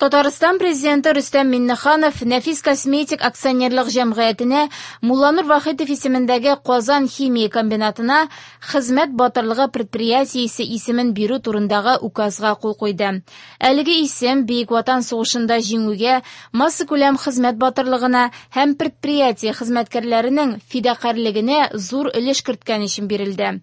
Татарстан Президенты Рөстәм Миңнеханов Нәфис косметик акционерлык җәмгыятенә Мулланур Вахитов исемендәге Казан химия комбинатына Хезмәт батырлыгы предприятиесе исемен бирү турындагы указга кул куйды. Әлеге исем Бөек Ватан сугышында җиңүгә, массакүләм хезмәт батырлыгына һәм предприятие хезмәткәрләренең фидакарьлегенә зур өлеш керткән өчен бирелде.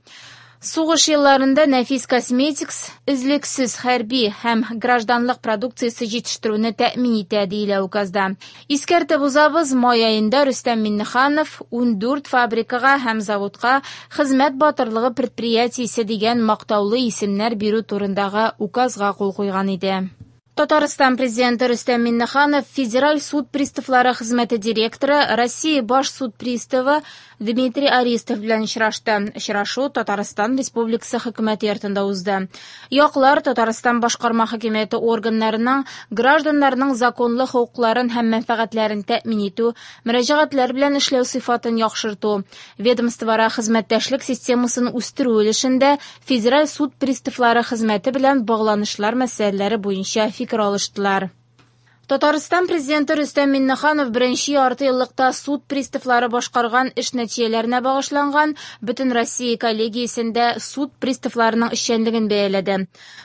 Сугыш елларында Нәфис Косметикс өзлексез хәрби һәм гражданлык продукциясе җитештерүне тәэмин итә, диелә указда. Искәртеп узабыз, май аенда Рөстәм Миңнеханов 14 фабрикага һәм заводка Хезмәт батырлыгы предприятиесе дигән мактаулы исемнәр бирү турындагы указга кул куйган иде. Татарстан Президенты Рөстәм Миңнеханов Федераль суд приставлары хезмәте директоры, Россия баш суд приставы Дмитрий Аристов белән очрашты. Очрашу Татарстан Республикасы Хөкүмәте йортында узды. Яклар Татарстан башкарма хакимияте органнарының гражданнарның законлы хокукларын һәм мәнфәгатьләрен тәэмин итү, мөрәҗәгатьләр белән эшләү сыйфатын яхшырту, ведомствоара хезмәттәшлек системасын үстерү өлешендә Федераль суд приставлары хезмәте белән багланышлар мәсьәләләре буенча фикер алыштылар. Татарстан Президенты Рөстәм Миңнеханов беренче ярты еллыкта суд приставлары башкарган эш нәтиҗәләренә багышланган Бөтенроссия коллегиясендә суд приставларының эшчәнлеген бәяләде.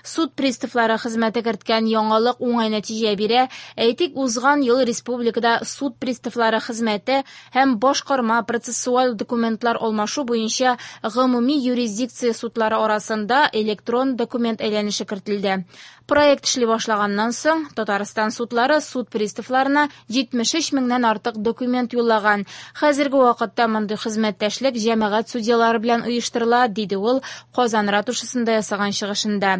Суд приставлары хезмәте керткән яңалык уңай нәтиҗә бирә. Әйтик, узган ел республикада суд приставлары хезмәте һәм башкарма процессуаль документлар алмашу буенча гомуми юрисдикция судлары арасында электрон документ әйләнеше кертелде. Проект эшли башлаганнан соң, Татарстан судлары суд приставларына 73 меңнән артык документ юллаган. Хәзерге вакытта мондый хезмәттәшлек җәмәгать судьялары белән оештырыла, диде ул Казан ратушасында ясаган чыгышында.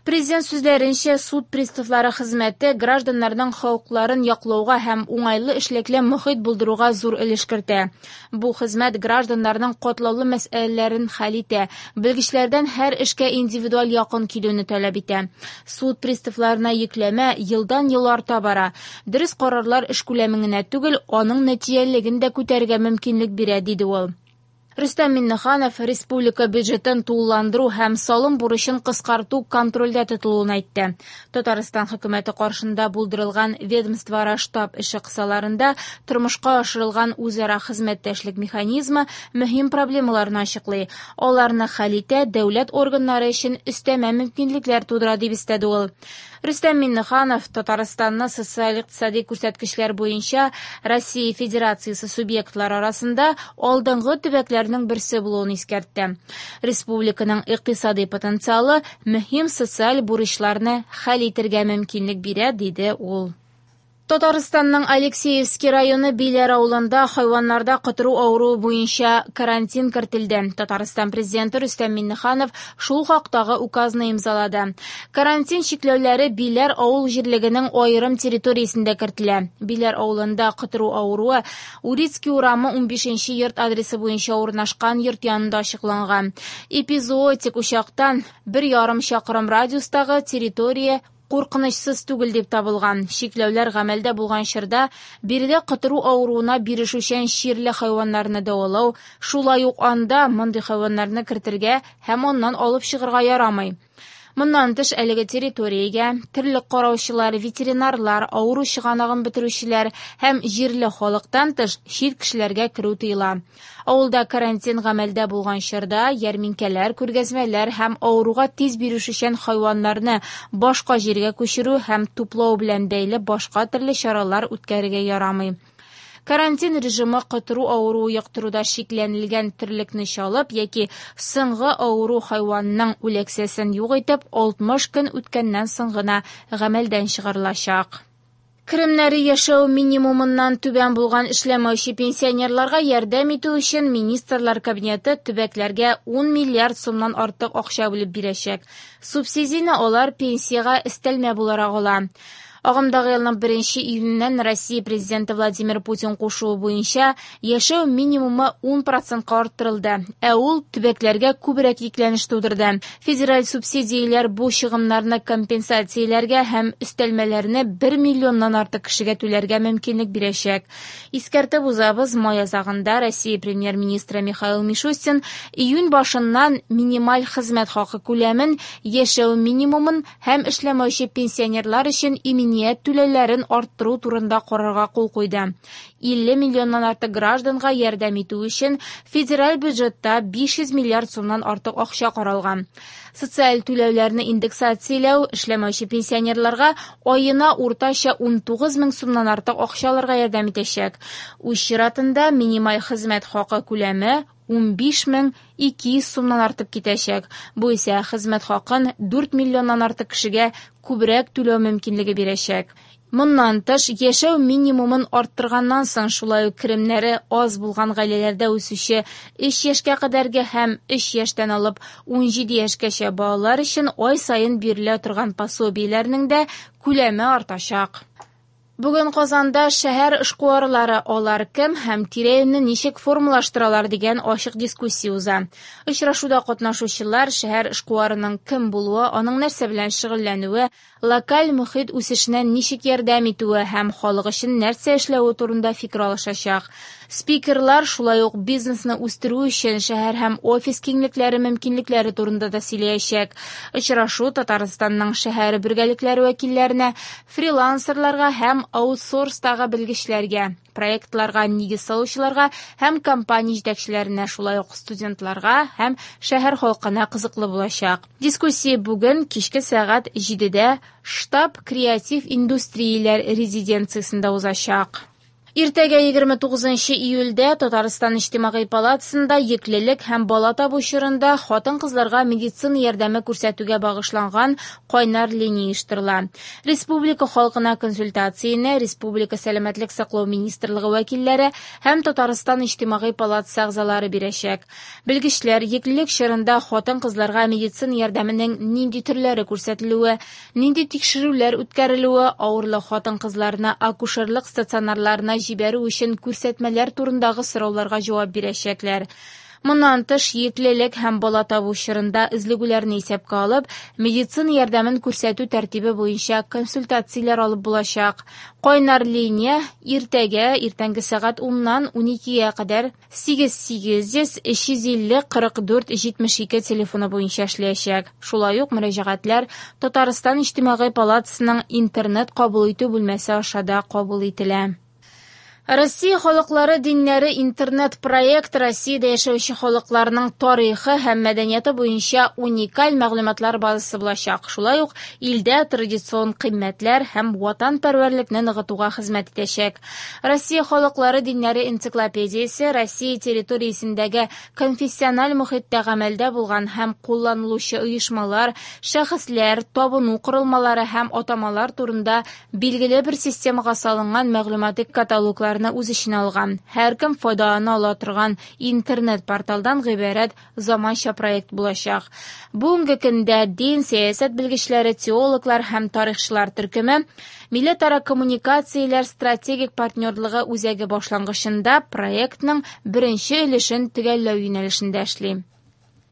Президент сүзләренчә, суд приставлары хезмәте гражданнарның хокукларын яклауга һәм уңайлы эшлекле мохит булдыруга зур өлеш кертә. Бу хезмәт гражданнарның катлаулы мәсьәләләрен хәл итә, белгечләрдән һәр эшкә индивидуаль якын килүне таләп итә. Суд приставларына йөкләмә елдан-ел арта бара. Дөрес карарлар эш күләмен генә түгел, аның нәтиҗәлелеген дә күтәрергә мөмкинлек бирә, диде ул. Рөстәм Миңнеханов республика бюджетын тулыландыру һәм салым бурычын кыскарту контрольдә тотылуын әйтте. Татарстан хөкүмәте каршында булдырылган ведомствоара штаб эше кысаларында тормышка ашырылган үзара хезмәттәшлек механизмы мөһим проблемаларны ачыклый, аларны хәл итә, дәүләт органнары өчен өстәмә мөмкинлекләр тудыра, дип өстәде ул. Рөстәм Миңнеханов Татарстанны социаль-икътисади күрсәткечләр буенча Россия Федерациясе субъектлары арасында алдынгы төбәкләрнең берсе булуын искәртте. Республиканың икътисади потенциалы мөһим социаль бурычларны хәл итергә мөмкинлек бирә, диде ул. Татарстанның Алексеевский районы Биләр авылында хайваннарда котыру авыруы буенча карантин кертелде. Татарстан Президенты Рөстәм Миңнеханов шул хактагы указны имзалады. Карантин чикләүләре Биләр авыл җирлегенең аерым территориясендә кертелә. Биләр авылында котыру авыруы Урицкий урамы 15 йорт адресы буенча урнашкан йорт янында ачыкланган. Эпизоотик учактан 1,5 чакрым радиустагы территория куркынычсыз түгел дип табылган. Чикләүләр гамәлдә булган чорда биредә котыру авыруына бирешүчән чирле хайваннарны дәвалау, шулай ук анда мондый хайваннарны кертергә һәм аннан алып чыгарга ярамый. Моннан тыш әлеге территориягә терлек караучылар, ветеринарлар, авыру чыганагын бетерүчеләр һәм җирле халыктан тыш чит кешеләргә керү тыела. Авылда карантин гамәлдә булган чорда ярминкәләр, күргәзмәләр һәм авыруга тиз бирешүчән хайваннарны башка җиргә күчерү һәм туплау белән бәйле башка төрле чаралар үткәрергә ярамый. Карантин режимы котыру авыруы йоктыруда шикләнелгән терлекне чалып яки соңгы авыру хайванның үләксәсен юк итеп 60 көн үткәннән соң гына гамәлдән чыгарылачак. Керемнәре яшәү минимумыннан түбән булган эшләмәүче пенсионерларга ярдәм итү өчен Министрлар Кабинеты төбәкләргә 10 миллиард сумнан артык акча бүлеп бирәчәк. Субсидияне алар пенсиягә өстәлмә буларак ала. Агымдагы елның 1 июненнән Россия Президенты Владимир Путин кушуы буенча яшәү минимумы 10%-ка арттырылды, ә ул төбәкләргә күбрәк йөкләнеш тудырды. Федераль субсидияләр бу чыгымнарны компенсацияләргә һәм өстәлмәләрне 1 миллионнан артык кешегә түләргә мөмкинлек бирәчәк. Искәртеп узабыз, май азагында Россия премьер-министры Михаил Мишустин июнь башыннан минималь хезмәт хакы күләмен, яшәү минимумын һәм эшләмәүче пенсионерлар өчен иминият иминият түләүләрен арттыру турында карарга кул куйды. 50 миллионнан артык гражданга ярдәм итү өчен федераль бюджетта 500 миллиард сумнан артык акча каралган. Социаль түләүләрне индексацияләү эшләмәүче пенсионерларга аена уртача 19 мең сумнан артык акча алырга ярдәм итәчәк. Үз чиратында минималь хезмәт хакы күләме 15 200 сумнан артып китәчәк. Бу исә хезмәт хакын 4 миллионнан артык кешегә күбрәк түләү мөмкинлеге бирәчәк. Моннан тыш, яшәү минимумын арттырганнан соң шулай ук керемнәре аз булган гаиләләрдә үсүче 3 яшькә кадәрге һәм 3 яшьтән алып 17 яшькәчә балалар өчен ай саен бирелә торган пособиеләрнең дә күләме артачак. Бүген Казанда шәһәр эшкуарлары алар кем һәм тирә-юньне ничек формалаштыралар дигән ачык дискуссия уза. Очрашуда катнашучылар шәһәр эшкуарының кем булуы, аның нәрсә белән шөгыльләнүе, локаль мохит үсешенә ничек ярдәм итүе һәм халык өчен нәрсә эшләве турында фикер алышачак. Спикерлар шулай ук бизнесны үстерү өчен шәһәр һәм офис киңлекләре мөмкинлекләре турында да сөйләячәк. Очрашу Татарстанның шәһәр бергәлекләре вәкилләренә, фрилансерларга һәм аутсорстагы белгечләргә, проектларга нигез салучыларга һәм компания җитәкчеләренә, шулай ук студентларга һәм шәһәр халкына кызыклы булачак. Дискуссия бүген кичке сәгать 7-дә Штаб креатив индустрияләр резиденциясендә узачак. Иртәгә 29 июльдә Татарстан Иҗтимагый палатасында йөклелек һәм бала табу чорында хатын-кызларга медицина ярдәме күрсәтүгә багышланган кайнар линия оештырыла. Республика халкына консультацияне Республика сәламәтлек саклау министрлыгы вәкилләре һәм Татарстан Иҗтимагый палатасы әгъзалары бирәчәк. Белгечләр йөклелек чорында хатын-кызларга медицина ярдәменең нинди төрләре күрсәтелүе, нинди тикшерүләр үткәрелүе, авырлы хатын-кызларны акушерлык стационарларына җибәрү өчен күрсәтмәләр турындагы сорауларга җавап бирәчәкләр. Моннан тыш, йөклелек һәм бала табу чорында өзлегүләрне исәпкә алып, медицина ярдәмен күрсәтү тәртибе буенча консультацияләр алып булачак. Кайнар линия иртәгә иртәнге сәгать 10-нан 12-гә кадәр 8 800 350 44 72 телефоны буенча эшләячәк. Шулай ук мөрәҗәгатьләр Татарстан Иҗтимагый палатасының интернет кабул итү бүлмәсе аша да кабул ителә. Россия халыклары диннәре интернет-проект Россиядә яшәүче халыкларның тарихы һәм мәдәнияте буенча уникаль мәгълүматлар базасы булачак. Шулай ук илдә традицион кыйммәтләр һәм ватанпәрвәрлекне ныгытуга хезмәт итәчәк. Россия халыклары диннәре энциклопедиясе Россия территориясендәге конфессиональ мохиттә гамәлдә булган һәм кулланылучы оешмалар, шәхесләр, табыну корылмалары һәм атамалар турында билгеле бер системага салынган мәгълүмати каталогларны үз эченә алган. Һәркем файдалана ала торган интернет-порталдан гыйбарәт заманча проект булачак. Бүгенге көндә дин, сәясәт белгечләре, теологлар һәм тарихчылар төркеме Милләтара коммуникацияләр стратегик партнерлыгы үзәге башлангычында проектның беренче өлешен төгәлләү юнәлешендә эшли.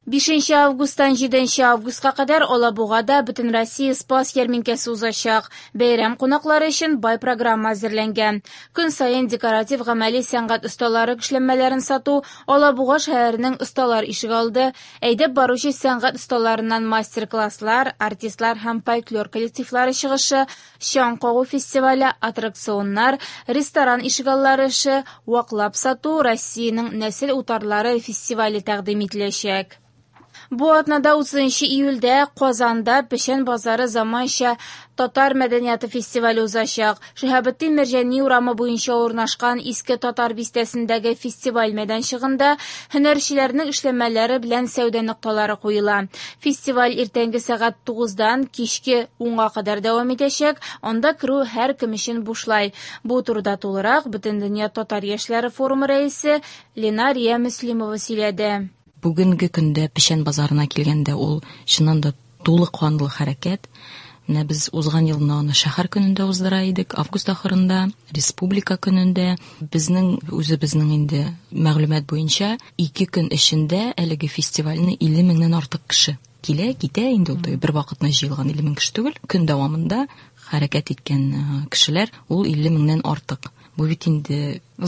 5 августтан 7 августка кадәр Алабугада Бөтенроссия Спас ярминкәсе узачак. Бәйрәм кунаклары өчен бай программа әзерләнгән. Көн саен декоратив гамәли сәнгать осталары эшләнмәләрен сату, Алабуга шәһәренең осталар ишегалды, әйдәп баручы сәнгать осталарыннан мастер-класслар, артистлар һәм фольклор коллективлары чыгышы, чаң кагу фестивале, аттракционнар, ресторан ишегаллары эше, ваклап сату, Россиянең нәсел утарлары фестивале тәкъдим ителәчәк. Бу атнада 30 июльдә Казанда Печән базары заманча татар мәдәнияте фестивале узачак. Шиһабетдин Мәрҗани урамы буенча урнашкан Иске Татар бистәсендәге фестиваль мәйданчыгында һөнәрчеләрнең эшләнмәләре белән сәүдә нокталары куела. Фестиваль иртәнге сәгать 9-дан кичке 10-га кадәр дәвам итәчәк. Анда керү һәркем өчен бушлай. Бу турыда тулырак Бөтендөнья татар яшьләре форумы рәисе Ленария Мөслимова сөйләде. Бүгенге көндә Печән базарына килгәндә ул чыннан да тулы канлы хәрәкәт. Менә без узган елны аны шәһәр көнендә уздыра идек, август ахырында, республика көнендә. Безнең үзебезнең инде мәгълүмат буенча 2 көн эчендә әлеге фестивальне 50 меңнән артык кеше килә, китә инде ул бер вакытны җыелган 50 мең кеше түгел, көн дәвамында хәрәкәт иткән кешеләр ул 50 меңнән артык. Бу бит инде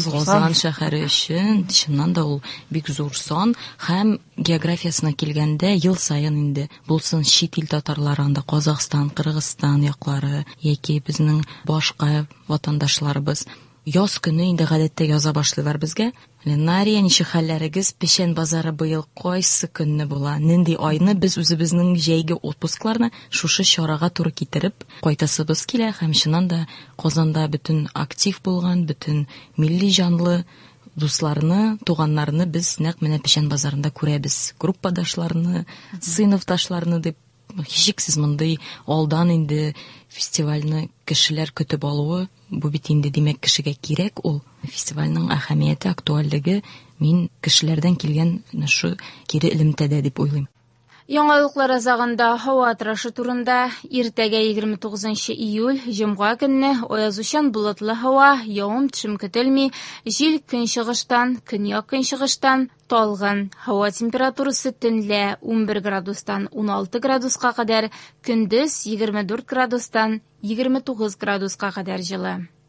Казан шәһәре өчен чыннан да ул бик зур сан һәм географиясенә килгәндә ел саен инде булсын чит ил татарлары анда Казахстан, Кыргызстан яклары яки безнең башка ватандашларыбыз яз көне инде гадәттә яза башлыйлар безгә. Ленария, ничек хәлләрегез? Печән базары быел кайсы көнне була? Нинди айны без үзебезнең җәйге отпускларны шушы чарага туры китереп кайтасыбыз килә һәм чыннан да Казанда бөтен актив булган, бөтен милли җанлы дусларны, туганнарны без нәкъ менә Печән базарында күрәбез. Группадашларны, сыйныфташларны дип һичшиксез мондый алдан инде фестивальне кешеләр көтеп алуы, бу бит инде димәк кешегә кирәк ул. Фестивальнең әһәмияте, актуальлеге мин кешеләрдән килгән шу кире элемтәдә дип уйлыйм. Яңалыклар азагында һава торышы турында. Иртәгә 29 июль, җомга көнне аязучан болытлы һава, явым-төшем көтелми, җил көнчыгыштан, көньяк-көнчыгыштан талгын. Һава температурасы төнлә 11 градустан 16 градуска кадәр, көндез 24 градустан 29 градуска кадәр җылы.